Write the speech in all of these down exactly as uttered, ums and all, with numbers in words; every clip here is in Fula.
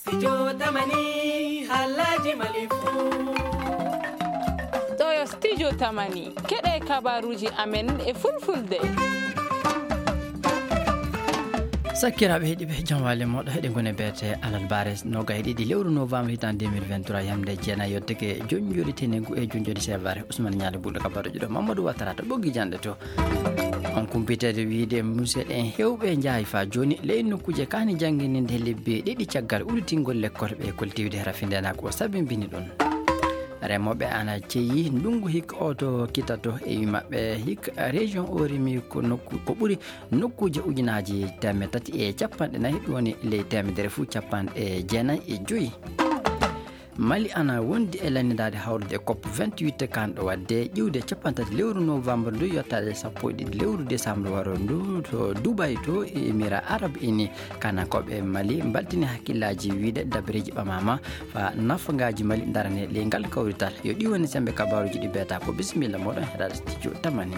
Studio Tamani, halaji Mali fu. Ɗo yo Studio Tamani, keɗe kabaruji amen e fulfulde. Sakkiraaɓe heɗiiɓe, jam waali moɗo heɗe ngone beete alal bare nogay ɗiɗi lewru novembre hitan deux mille vingt-trois, yamde jeenayi yotteke jonjori tenegu e jonjori sevare. Ousmane Ñaali Buɗo ka baɗo ƴuɗo Mamadou Watara to ɓoggi janɗe to. On kumpitede wiide museɗen hewɓe njaay fa joni ley nokkuuje kani janngininde lebbi ɗiɗi caggal udditingol lekkol ɓe koltiwde rafindenaako o sabimbini ɗum. Remooɓe ana ceyi ndungu hikka o to kitato e wi maɓɓe hikka région o rimi ko nokku ko ɓuri nokkuuje ujunaaji teemeɗɗe tati e capanɗe nayi, ɗum woni ley teemedere fuu capanɗe jeenayi e joyi. Mali ana wondi e lanndaade hawrude cop vingt-huit kanɗo waɗde ƴiwde cappanɗe tati lewru novembre ndu yottaade sappo e ɗiɗi lewru décembre waro ndu to Dubai to Émirats Arabes Unis. Kanankooɓe Mali mbaltini hakkillaaji wiide dabareeji ɓamaama fa nafagaaji Mali darane ley ngal kawrital. Yo ɗi woni sembe kabaaruuji ɗi beeta ko bisimilla moɗon heɗaade studio Tamani.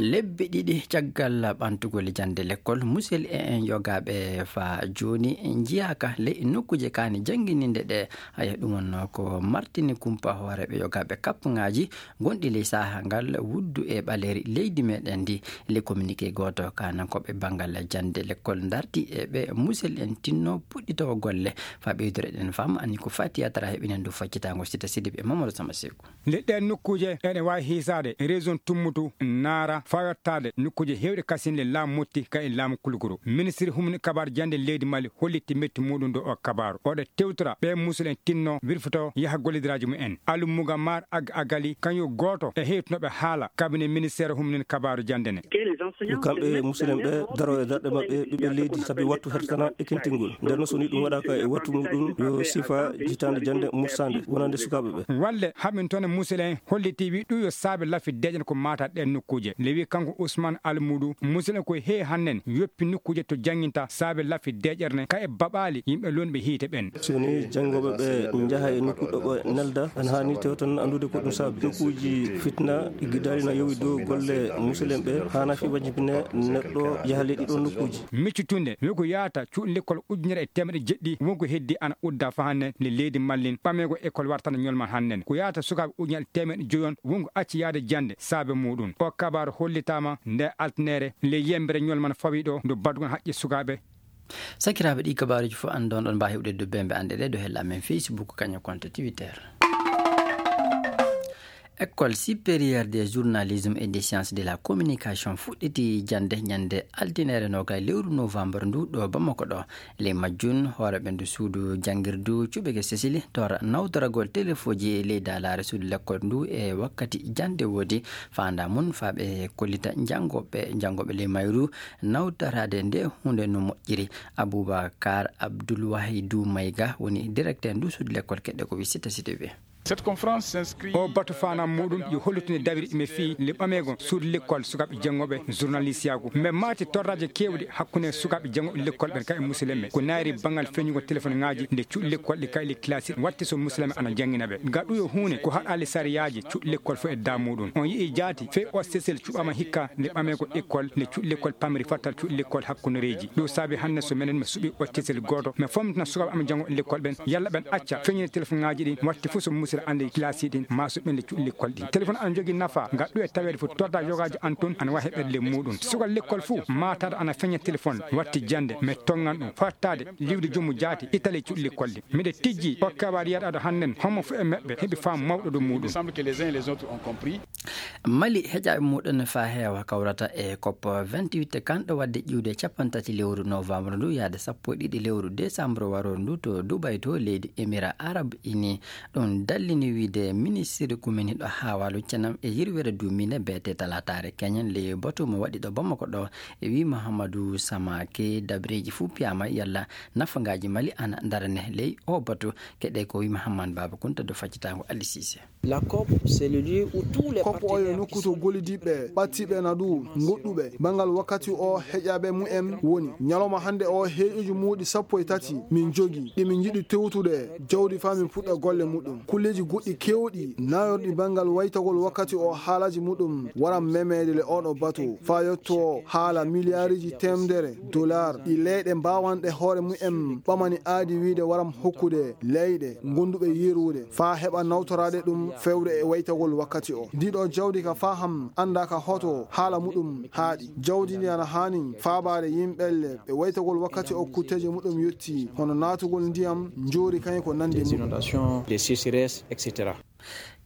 Lebbi ɗiɗi caggal ɓantugol jannde lekkol, musel e en yogaaɓe fa jooni njiyaaka ley nokkuuje kaani janngininde ɗe. Haya, ɗum wonnoo ko martini kumpa hooreeɓe yogaaɓe kappŋaaji gonɗi ley sahaa ngal wuddu e ɓaleeri leydi meɗen ndi. Ley communiqué gooto, kaanankooɓe banngal jannde lekkol ndarti e ɓe musel en tinno puɗɗitoo golle. Fa ɓeydore ɗen fam, ani ko Fatiya Tara heɓinen dow faccitaango Sita Sidibe e Mamadou Sama Seku. Nde ɗeen nokkuuje ene waawi hiisaade région Tummutu, Naara, faa yottaade nokkuuje heewɗe kasinle laamu Motti ka e laamu Kulukuru. Ministiri humni kabaaru jannde leydi Mali hollitti metti muuɗum dow o kabaaru. Oɗo tewtora ɓee musul en tinno wirfoto yaha gollidiraaji mumen. Alu Muga Maar Ag Agali, kañum gooto e heytunooɓe haala kabine ministeer humnin kabaaru jannde ne. Ko kamɓe musul en ɓe daro e darɗe maɓɓe ɓiɓɓe leydi, sabi wattu hertana e kintingol. Nden noon, so ni ɗum waɗaaka e wattu muɗum, yo sifa jitaande jannde mursande wonande sukaaɓe ɓe. Walle haɓin toon e musul en holliti wi ɗum yo saabe lafi deeƴen ko maata ɗeen nokkuuje. Le wi kanko Ousmane Almuudu, musul en ko heewi hannen yoppi nokkuuje to jannginta saabe lafi deeƴere ne ka e baɓaali yimɓe lonɓe hiite ɓen. So ni janngooɓe ɓe njaha e nokku ɗo ɓe nelda, ana haani tew tan anndude ko ɗum saabi. Nokkuuji fitna, gidaali na yowi dow golle musul en ɓe, haana fi wajibine neɗɗo yaha ley ɗiɗo nokkuuji. Miccutunde, wi ko yaata cuuɗi lekkol ujunere e teemeɗe jeɗɗi, wonko heddi ana udda fa hannen le leydi Mali, ɓameego école wartana ñolman hannen. Ko yaata sukaaɓe ujunere e teemeɗe joyi on, wonko acci yaade jannde saabe muuɗum. O kabaaru hollitaama nde altinere le yembere ñolman fawi ɗo, ndu baddugon haqqe sukaaɓe. Sakiraaɓe, ɗi kabaaruuji fof anndoon on mbaawi heɓde dow bembe annde ɗe dow hella amen Facebook, kañum konto Twitter. École supérieure des journalisme et des sciences de la communication fuɗɗiti jannde ñannde altinere nogay lewru novembre ndu ɗo Bamako ɗo. Ley majjum, hooreeɓe ndu suudu janngirdu cuɓeke Sesili tora nawtoragol telefoji e ley daalaare suudu lekkol ndu e wakkati jannde woodi faanda mum faa ɓe kollita janngooɓe, janngooɓe ley mayru nawtoraade nde huunde no moƴƴiri. Aboubacar Abdoul Wahidou Maïga woni directeur ndu suudu lekkol keɗɗe ko wi Sita Sita wi. Cette conférence s'inscrit O batu faanam muɗum yo hollitinde dawiri ɗi mi fii le ɓameego suudu lekkol sukaaɓe janngooɓe journalistiyaagu. Mbe maati torraaji keewɗi hakkunde sukaaɓe janngooɓe lekkol ɓen ka e musulmen ɓe. Ko naayri banngal feññugol telefonŋaaji nde cuuɗi lekkol ɗi ka e le kilasi watti so musulmen ana janngina ɓe. Ga ɗum yo huunde ko haɗaali sariyaaji cuuɗi lekkol fof e daa muɗum. On yi'i jaati fey o sesel cuɓaama hikka nde ɓameego école nde cuuɗi lekkol pamri fattal cuuɗi lekkol hakkundereeji. Ɗum saabi hannde so menen mi suɓi o tesel gooto, mi fomtina sukaaɓe am janngo lekkol ɓen, yalla ɓen acca feññinde telefonŋaaji ɗi, watti fof so musidɗo annde kilasi ɗin, maa so ɓen le cuuɗi lekkol ɗin. Telefon ana jogii nafa, ngam ɗum e taweede fof torda yogaaji an tun ana waawi heɓeede le muɗum. Sukal lekkol fof, maataade ana feñña telefon, watti jannde, mi tongan ɗum, fattaade, liwde jommu jaati, itale cuuɗi lekkol ɗin. Miɗo tijji, o kabaar yaɗaɗo hannden, homo fof e maɓɓe heɓi faamu mawɗo dow muɗum. Il semble que les uns et les autres ont compris. Mali heƴaaɓe muɗum faa heewa kawrata e cop vingt-huit kanɗo waɗde ƴiwde cappanɗe tati lewru novembre ndu yaade sappo e ɗiɗi lewru décembre waro ndu to Dubai to leydi Émirats Arabes Unis. Ɗum dallini wiide ministiri kuminiɗo haawalu cenam e yirwere duumine beete talaataare keñen ley batu mo waɗi ɗo Bamako ɗo e wi Mahamadou Samake dabreeji fuu piyaama yalla nafagaaji Mali ana darane ley o batu. Keɗe ko wi Mahamman Baba Kunta do faccitaango Ali Sise. La cop, c'est le lieu où tous les Kopo oyo partenaires nokku qui to sont gollidiiɓe ɓattiiɓe na ɗum goɗɗuɓe banngal wakkati o heƴaaɓe mumen woni. Ñalawma hannde o heeƴuji muuɗi sappo e tati min jogi ɗi min njiɗi tewtude jawdi faa min puɗɗa golle muɗum. Kulle Ji goɗɗi keewɗi nayorɗi banngal waytagol wakkati o haalaji muɗum waran memeede le oɗo batu faa yotto haala miliyaariji teemdere dollar ɗi leyɗe mbaawanɗe hoore mumen ɓamani aadi wiide waran hokkude leyɗe gonduɓe yerude faa heɓa nawtoraade ɗum fewde e waytagol wakkati o. Ndiɗo jawdi ka faham annda ka hoto haala muɗum haaɗi. Jawdi ndi ana haani faabaade yimɓelle ɓe waytagol wakkati o kutteeji muɗum yotti hono naatugol ndiyam njoori kañum ko nandi muɗum. Des sécheresses, et cetera.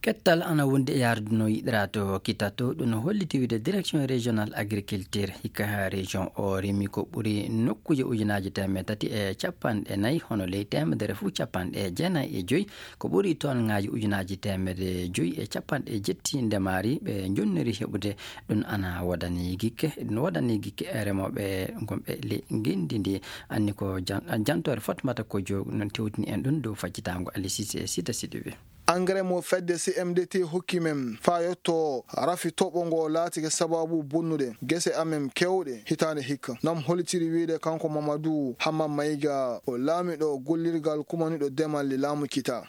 Kettal ana wondi e yarduno yiɗira to kita to ɗum holliti wiide direction régional agriculture hikka ha région o rimi ko ɓuri nokkuuje ujunaaji teemedde tati e capanɗe nayi hono ley teemedere fuu capanɗe jeenayi e joyi ko ɓuri toon ŋaaji ujunaaji teemedde joyi e capanɗe jetti ndemaari ɓe jonniri heɓude ɗum ana wodani gikke ɗum wodani gikke remooɓe gonɓe ley ngenndi ndi anni ko jantoore fatmata ko jo non tewtini en ɗum dow faccitaango alisis e sita siɗiɓe. Engrais mo fedde C M D T hokki men faa yotto rafi toɓo ngo laatike sababu bonnude gese amen kewɗe hitaande hikka. Nam holitiri wiide kanko Mamadou Hamma Mayga o laamiɗo gollirgal kumaniɗo demal le laamu kita.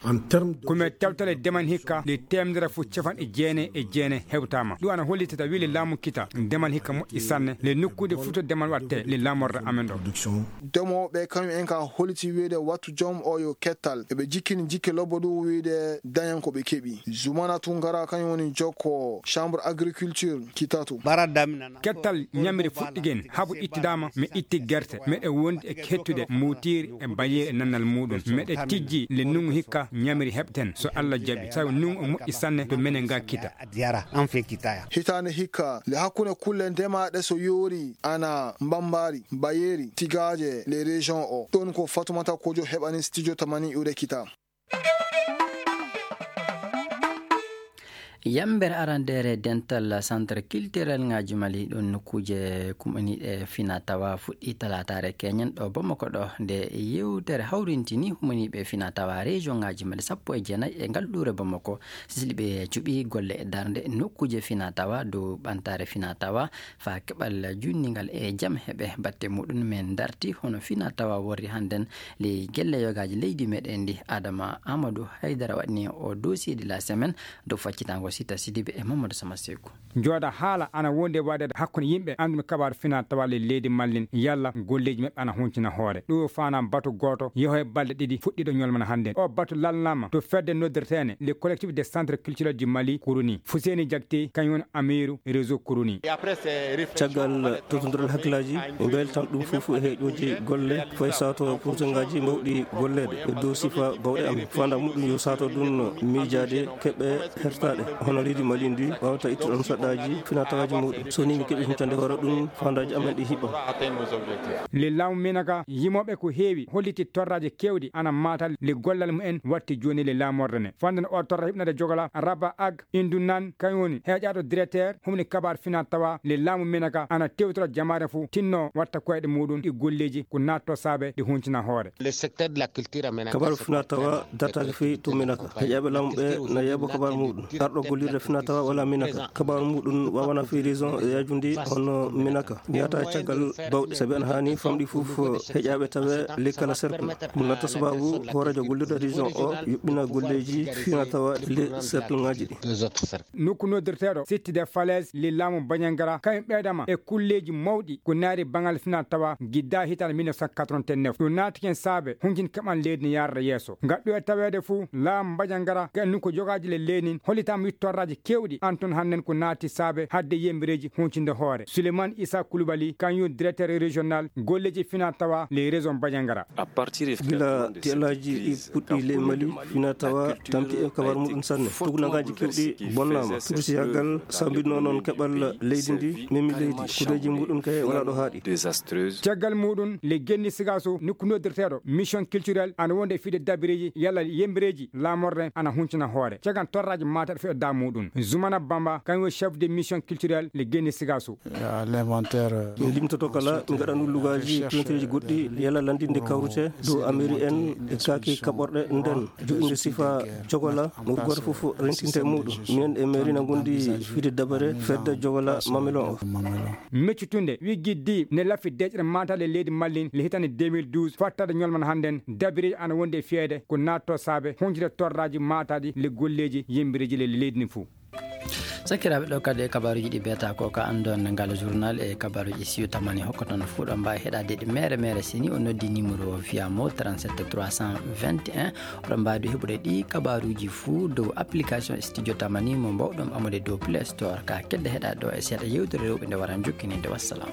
Ko men tawtale demal hikka le temedere fo capanɗe jeenayi e jeenayi hewtaama. Ɗum ana hollitata wiide laamu kita demal hikka moƴƴi sanne le nokkuude futo demal watte le laamorde amen ɗo. Demooɓe kañum en ka holiti wiide wattu joom o yo kettal eɓe jikkini jikke lobbo ɗum wiide dañan ko ɓe keɓi. Zumana Tungara kañum woni jokko chambre agriculture kitato. Kettal ñamiri fuɗɗigen habu ittidaama mi itti gerte meɗe wondi e hettude mbuutiiri e bayeeri e nannal muɗum meɗe tijji le nungu hikka ñamiri heɓten so Allah jaɓi sabu nungu o moƴƴi sanne to menen ga kita. Hitaande hikka le hakkunde kulle ndemaaɗe so yoori ana mbambaari bayeeri tigaaje le région o ɗon ko Fatumata Kojo heɓani studio tamani iwde kita. Yammbere arandeere dental centre culturel ŋaaji Mali ɗon nokkuuje kumaniiɗe fina tawa fuɗɗi talaataare keñen ɗo Bamako ɗo nde yewtere hawrintini humaniiɓe fina tawa région ŋaaji Mali sappo e jeenayi e ngal ɗuure Bamako sisliɓe cuɓi golle e darnde nokkuuje fina tawa dow ɓantaare fina tawa faa keɓal junningal e jam heɓe batte muɗum men darti hono fina tawa worri hannden ley gelle yogaaji leydi meɗen ndi Adama Amadou Haydara waɗni o dossier de la semaine dow faccitaango Sita Sidibe e Mamadou Sama Seku. Jooɗa haala ana wondi e waɗeede hakkunde yimɓe annduɓe kabaaru fina tawa ley leydi Mallin yalla golleeji maɓɓe ana huncina hoore. Ɗum faanaa batu gooto yeho e balɗe ɗiɗi fuɗɗiiɗo ñolmana hannden. O batu lalnaama to fedde noddirteene le collectif des centres culturels du Mali Kuruni. Fuseni Jakte kañum woni amiiru réseau Kuruni. Caggal totodiral hakkillaaji e mbeltan ɗum fof e heeƴooji golle fayi saato purtengaaji mbawɗi golleede e dow sifa bawɗe am faanda muɗum yo saato ɗum miijaade keɓe hertaaɗe hono leydi Mali ndi waawata ittude ɗon saɗɗaaji finatawaaji muɗum so ni mi keɓi huncande hoore ɗum faandaaji amen ɗi hiɓɓa. Le laamu Minaka yimooɓe ko heewi holliti torraaji keewɗi ana maatal le gollal mumen watti jooni le laamorde ne fanden o torra hiɓnade jogola raba ag indu nan kañum woni heeƴaaɗo directeur humni kabaar fina tawa le laamu Minaka ana tewtora jamaare fof tinno watta koyɗe muɗum ɗi golleeji ko natto saabe ɗi huncina hoore. Kabaru fina tawa dartaki fi to Minaka heƴaɓe laamu ɓe na yeɓo kabaru muɗum arɗo gollirde fina tawa wala Minaka kabaru muɗum wawana fi région yajundi hono Minaka yata caggal bawɗi sabi ana hani famɗi fof heƴaɓe tawe lekkala cercle ɗum latta sababu hoorejo gollirde région o yuɓɓina golleji fina tawa le cercle ngaji ɗi. Nokku noddirteeɗo sittide falaise le laamu Bañangara kañum ɓeydama e kulleeji mawɗi ko naari baŋal fina tawa gidda hitaande mille neuf cent quatre-vingt-neuf ɗum naati ken saabe hunjin kaɓan leydi ne yarda yeeso ngaddu e taweede fuu laamu Bañangara ka nokku jogaaji le leydi nin hollitaama wittorraaji keewɗi an toon hannden ko naati saabe hadde yembireeji huncinde hoore Souleymane Issa Coulibaly kañum directeur régional golleeji fina tawa le région Bañangara. Gila tiyalaaji ɗi puɗɗi ley Mali fina tawa tampi e kabar muɗum sanne. Tugunangaaji kewɗi bonnaama. Tugusiyagal sambinno noon keɓal leydi ndi memi leydi kudeeji muɗum kay wala ɗo haaɗi. Caggal muɗum le genni sigaso nokku noddirteeɗo mission culturel ana wonde e fiide dabireeji yalla yembireeji laamorde ana huncina hoore cagan torraaji maataɗo muɗum. Zumana Bamba, kañum woni chef de mission culturelle le Guinée Sigasso. L'inventaire, euh, min limtoto kala, min ngaɗa ɗum lugaaji, recherche, pinteeji goɗɗi, yalla lanndinde kawrite dow amiri en e kaaki kaɓorɗe nden, joɗɗinde sifa jogola, mo gooto fof rentinte e muɗum. Minen e mairie na ngondi fide dabare fedde jogola Mamelon o. Meccutunde, wi giddi ne lafi deƴƴere mataade leydi Mali le hitande deux mille douze, fattade ñolman hannden, dabiri ana wondi e fiyede ko natto saabe, huncide torraji mataɗi le golleji yembiriji le leydi ndi fof. Sakiraaɓe, ɗo kadi e kabaaruuji ɗi beeta ko ka anndon ngal journal e kabaaruuji siyo tamani hokkoton fof ɗo mbaawi heɗaade ɗi mere mere sini o noddi numéro fiya mo trente-sept trois cent vingt et un. Oɗon mbaawi heɓude ɗi kabaaruuji fof dow application Studio Tamani mo mbawɗon amude dow Play Store. Ka kedde heɗaade ɗo e seeɗa yewtere rewɓe nde wara jokkininde. Wassalam.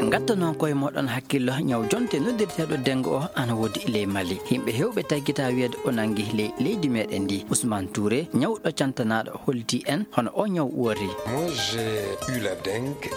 Ngatta noon koye moɗon hakkillo ñaw jonte noddirteeɗo dengue o ana woodi ley Mali. Yimɓe heewɓe taggita wiyeede o nangi ley leydi meɗen ndi. Ousmane Touré, ñawɗo cantanaɗo, holti en hono o ñaw wori. Moi, j'ai eu la dengue.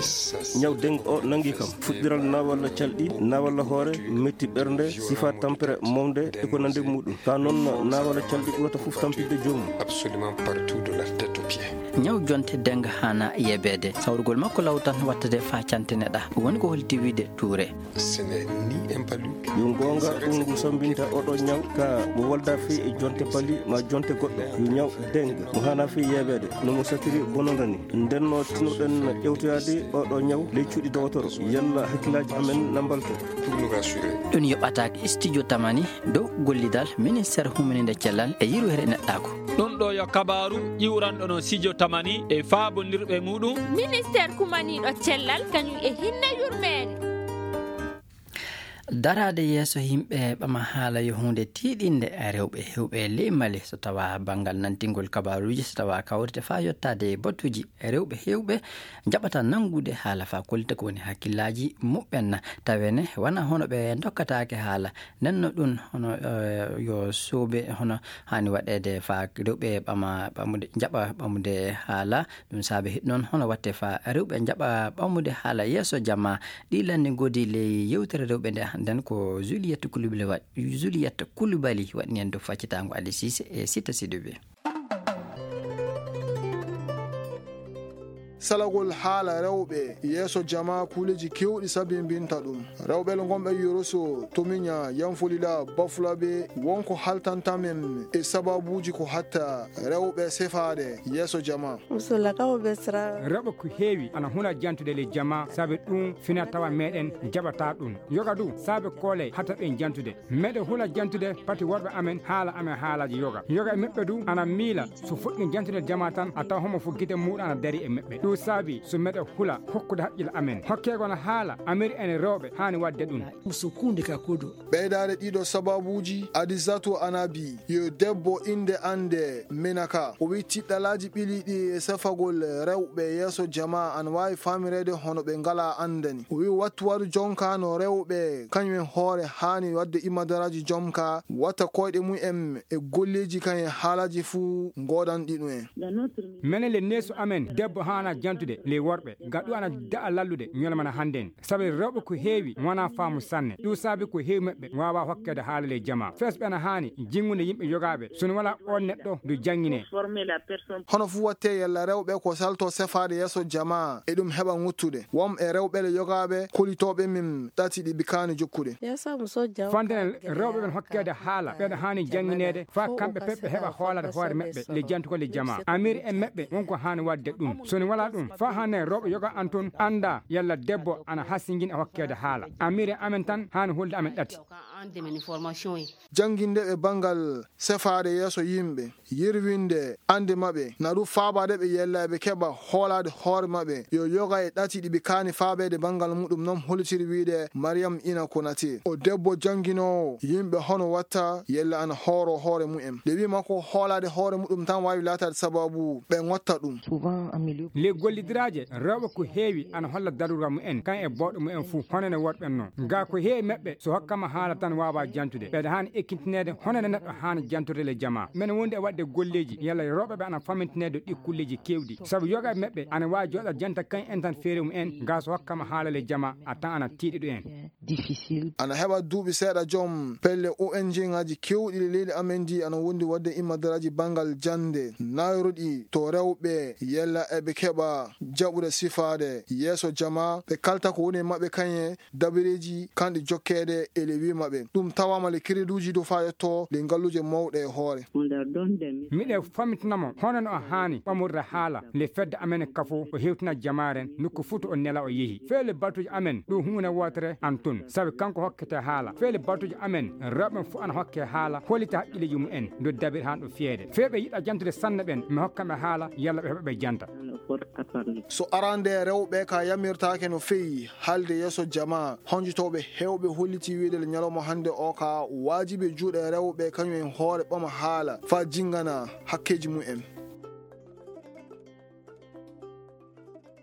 Ñaw dengue o nangi kam fuɗɗiral nawalla calɗi, nawalla hoore, metti ɓernde, sifa tampere momde e ko nande muɗum. Ka noon nawalla calɗi ɓurata fof tampinde joomum. Absolument partout de la tête aux pieds. Ñaw jonte dengue hana yebeede. Sawrugol makko law tan wattade fa cantine ɗa. Woni ko holti wiide Touré. Ce n'est ni un palu. Yo goonga, ɗum ngu sambinta oɗo ñaw ka mo wolda fi e jonte pali ma jonte goɗɗo. Yo ñaw dengue mo hana fi yebeede no mo satiri bononda ni. Ndenno tinoɗen ƴewtoyaade oɗo ñaw ley cuuɗi dowotoro. Yalla hakkillaaji amen na mbalto. Pour nous rassurer. Ɗum yoɓataake Studio Tamani dow gollidal ministère humininde cellal e yirwere neɗɗaako. Ɗum ɗo yo kabaaru ƴiwranɗo no Studio Tamani e faabondirɓe muɗum. Ministère kumaniiɗo cellal kañum e hinne yurmeende. Daraade yeeso yimɓe ɓama haala yo huunde tiiɗinde rewɓe heewɓe ley Mali, so tawa banngal nantingol kabaaruuji, so tawa kawrite faa yottaade e batuuji rewɓe heewɓe njaɓata nanngude haala faa kollita ko woni hakkillaaji muɓɓen. Tawene wona hono ɓe ndokkataake haala. Nden no ɗum hono, eh, yo soobe hono haani waɗeede faa rewɓe ɓama ɓamude, njaɓa ɓamude haala. Ɗum saabe hiɗ noon hono watte faa rewɓe njaɓa ɓamude haala yeeso jama. Ɗi lanni ngoodi ley yewtere rewɓe nde hannden ko Juliette Koulibaly wa-, Juliette Koulibaly waɗni en dow faccitaango Ali Cissé e Sita Sidibé. Salagol haala rewɓe yeeso jama kuuleji kewɗi sabimbinta ɗum. Rewɓe le ngonɓe Yoroso, Tomiña, Yanfolila, Bafulaɓe, wonko haltanta men e sababuuji ko hatta rewɓe sefaade yeeso jama. Musola ka o be sira. Rewɓe ko heewi ana huna jantude le jama, sabe ɗum fina tawa meɗen jaɓata ɗum. Yoga du, sabe kole hata ɓen jantude. Meɗe hula jantude pati worɓe amen haala amen haalaji yoga. Yoga e meɓɓe du ana miila so fuɗɗi jantude jama tan a tawa homo fu gite muɗum ana dari e meɓɓe. Ɗum saabi so meɗe hula hokkude haqqille amen. Hokkego na haala amiri en rewɓe haani wadde ɗum. Muso kunde ka kodo. Ɓeydaade ɗiɗo sababuuji, Adizatu Anabi, yo debbo innde annde Menaka. O wi'i tiɗɗalaaji ɓiliiɗi e sefagol rewɓe yeeso jamaa ana waawi faamireede hono ɓe ngalaa anndani. O wi'i wattu waɗu jonka no rewɓe kañum en hoore haani waɗde imadaraaji jomka, watta koyɗe mum en e golleeji kañum en haalaaji fuu ngoodanɗi ɗum en. Menen le neesu amen, debbo haana jantude ley worɓe, gaɗu ana da'a lallude ñolmana hannden. Sabi rewɓe ko heewi wonaa faamu sanne. Ɗum saabi ko heewi maɓɓe waawaa hokkeede haala ley jamaa. Fesɓe ana haani jinngude yimɓe yogaaɓe, so no walaa oon neɗɗo ndu jannginee. Hono fuu wattee yalla rewɓe ko salto sefaade yeeso jamaa, e ɗum heɓa ŋuttude. Won e rewɓe le yogaaɓe kolitooɓe min ɗati ɗi bikaani jokkude. Fande ne rewɓe ɓen hokkeede haala, ɓeɗo haani janngineede, faa kamɓe pep ɓe heɓa hoolaade hoore maɓɓe le jantugol le jamaa. Amiri en maɓɓe won ko haani waɗde ɗum. So no walaa ɗum, faa hannde rewɓe yoga an toon annda yalla debbo ana hasingin e hokkeede haala. Amiri amen tan haani hulde amen ɗati. Jannginde ɓe banngal sefaade yeeso yimɓe, yirwinde annde maɓɓe, na ɗum faabaade ɓe yella ɓe keɓa hoolaade hoore maɓɓe, yo yoga e ɗati ɗi ɓe kaani faabeede banngal muɗum, noon hollitiri wiide Mariam Ina Konate. O debbo jannginoowo yimɓe hono watta yella ana hooro hoore mumen. Nde wiima ko hoolaade hoore muɗum tan waawi laataade sababu ɓe ngotta ɗum. Le Gollidiraaje rewɓe ko heewi ana holla darura mumen kan e booɗo mumen fuu, hono no worɓe non. Gaa ko heewi maɓɓe so hokkama haala tan waawaa jantude. Ɓeɗa haani ekkintineede hono no neɗɗo haani jantorde le jamaa. Men wondi e waɗde golleeji, yalla rewɓe ɓe ana famintineede ɗi kulleeji keewɗi. Sabu yoga e maɓɓe ana waawi jooɗa janta kan en tan feere mumen, gaa so hokkama haala le jamaa, a tan ana tiiɗi ɗo en. Ana heɓa duuɓi seeɗa joom pelle O N G ŋaaji keewɗi e leydi amen ndi ana wondi waɗde immadaraaji banngal jannde nayroɗi to rewɓe yella eɓe keɓa jaɓude sifaade yeeso jama ɓe kalta ko woni e maɓɓe kañe dabareeji kanɗi jokkeede e le wi maɓɓe. Ɗum tawaama le kereduuji dow faa yetto le ngalluuje mawɗe e hoore. Miɗe famitina mo hono no o haani ɓamorde haala le fedde amen kafo o hewtina jamaaren nokku fuu to o nela o yehi. Feele batuuji amen ɗo huune wootere an tun sabi kanko hokkete haala. Feele batuuji amen rewɓe ɓen fof ana hokke haala hollita haqqilleeji mumen do dabir han ɗo fiyeede. Feeɓe yiɗa jantude sanne ɓen mi hokka ɓe haala yalla ɓe heɓa ɓe janta. So arande rewɓe ka yamirtaake no feewi haalde yeeso jamaa, honjotooɓe heewɓe holliti wiide le ñalawma hannde o ka waajibi juuɗe rewɓe kañum en hoore ɓama haala faa jinngana hakkeeji mumen.